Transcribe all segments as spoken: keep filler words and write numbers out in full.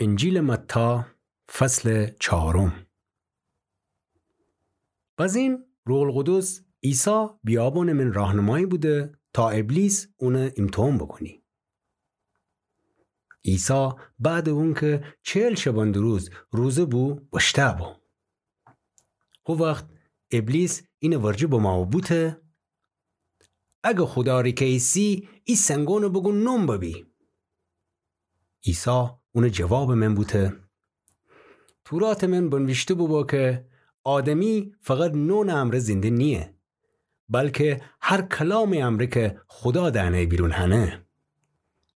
انجیلٚ متی، فصلٚ چهارم. بزین روح‌القدس عیسی بیابونٚ من راهنمایی بوده تا ابلیس اونَ ایمتحان بوکونی. عیسی بعدٚ اونکه چهل شبانه‌روز روزه بو، بشتأ بو. هو وخت ابلیس اینٚ ورجه بمو و بوته: اگه خودا ریکه ایسی، ای سنگونَ بوکون نون ببی. عیسی اونٚ جوابٚ من بوته: توراتٚ من بنویشته بوبو که آدمی فقط نونٚ امرأ زنده نییه، بلکه هر کلامٚ امرأ که خودا دهنه بیرون هنه.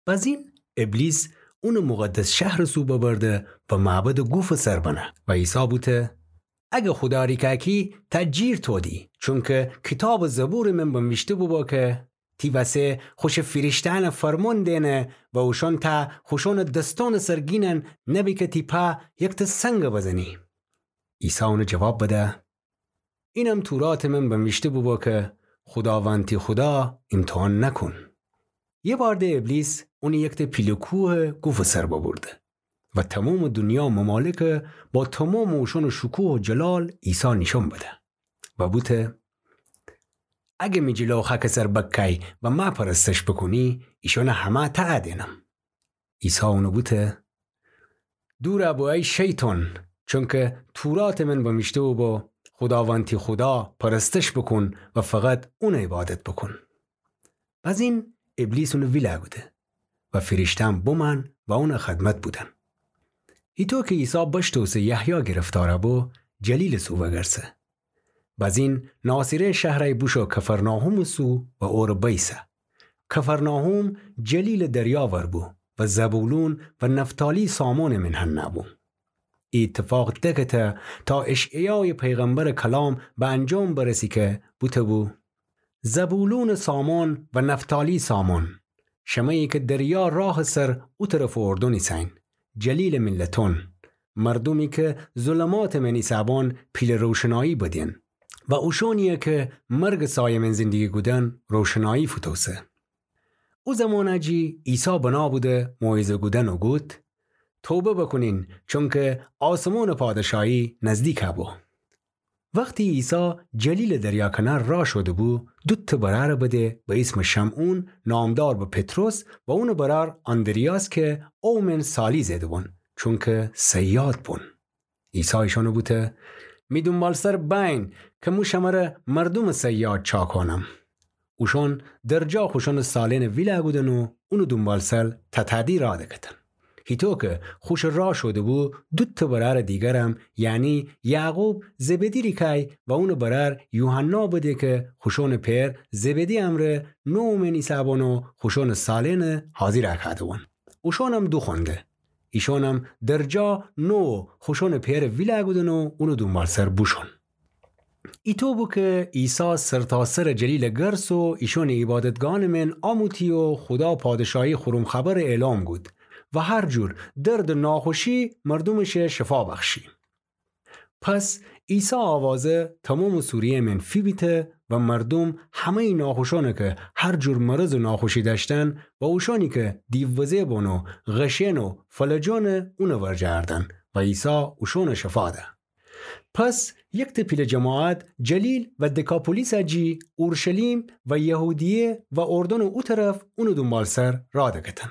بزین ابلیس اونٚ مقدس شهرٚ سو ببرده و معبدٚ گوفٚ سر بنه و عیسی بوته: اگه خودا ریکه کی، تا جیر تودی، چونکه کیتابٚ زبورٚ من بنویشته بوبو که تی وسه خوشٚ فیرشته‌یأنَ فرمون دینه و اوشأن ته خوشأنٚ دسأنٚ سر گینن، نبی که تی پا یکتأ سنگَ بزنی. عیسی اونَ جواب بده: اینم توراتٚ من بنویشته بوبو که خوداوند تی خودا ایمتحان نکون. یه بار ده ابلیس اونَ یکتأ پیله کوهٚ گوفٚ سر ببرده و تومامٚ دونیا ممالکَ با تومامٚ اوشأنٚ شکوه و جلال عیسی نیشأن بده و بوته: اگه می جلو خاکٚ سر بکای و مه پرستش بوکونی، ایشأنَ همه تأ دینم. عیسی اونَ بوته: دورَ بو ای شیطان، چونکه توراتٚ من بنویشته بوبو: خوداوند تی خودا پرستش بوکون و فقط اونَ عبادت بوکون. بزین ابلیس اونَ ویله کوده و فیرشته‌یأن بمأن و اونٚ خدمت بودن. هیطو که عیسی بشتوسه یحیی گرفتارَ بو، جلیلٚ سو وگرسه. بزین ناصره شهرَ بوشو کفرناحومٚ سو و اورَ بیسه. کفرناحوم جلیلٚ دریا ور بو و زبولون و نفتالی سامونٚ من هنه بو. ای ایتفاق دکته تا اشعیایٚ پیغمبرٚ کلام به انجام برسی که بوته بو: زبولون و سامون و نفتالی سامون، شمه‌یی که دریا راهٚ سر او طرفٚ اردن ایسه‌یین، جلیلٚ ملتون، مردومی که ظلماتٚ من ایسه‌بون پیله روشنایی بدین و اوشونیی که مرگٚ سایه من زندگی کودن روشنایی فوتوسه. او زمانَ جی عیسی بنا بوده موعظه کودن و گود: توبه بوکونین، چونکه آسمونٚ پادشاهی نزدیک بو. وختی عیسی جلیلٚ دریا کنار را شوده بو، دوتأ برأرَ بده به ایسمٚ شمعون، نامدار به پطرس، و اونٚ برأر آندریاس که او من سالی زئیده‌بون، چونکه صیاد بون. عیسی ایشأنَ بوته: می دونبالسر بأیین که مو شمره مردومٚ صیاد چاکونم. اوشأن درجا خوشأنٚ سالئنَ ویله کودن و اونٚ دونبالسر تتأدی را دکتن. هیطو که خوشٚ را شوده بو، دوتأ برأرٚ دیگرم، یعنی یعقوب زبدی ریکای و اونٚ برأر یوحنا بده که خوشأنٚ پئر زبدی امرأ نوو من ایسه‌بون و خوشأنٚ سالئنَ حاضر کوده‌بون. اوشأنم دوخونده. ایشأنم درجا نوو خوشأنٚ پئرَ ویله کودن و اونٚ دونبالسر بوشون. ایطو بو که عیسی سرتاسرٚ جلیلَ گرس و ایشأنٚ عیبادتگاهأنٚ من آموتی و خودا پادشاهی خورم خبرَ اعلام کود و هر جور درد و ناخوشی مردومشَ شفا بخشی. پس عیسی آوازَ تومامٚ سوریه من فیبیته و مردوم همه‌یٚ ناخوشأنَ که هر جور مرض و ناخوشی دأشتن و اوشأنی که دیووزه بون و غشأن و فلجأنَ اونٚ ورجه اردن و عیسی اوشأنَ شفا ده. پس یکتأ پیله جماعت جلیل و دکاپولیسَ جی اورشلیم و یهودیه و اردنٚ او طرف اونٚ دونبالسر را دکتن.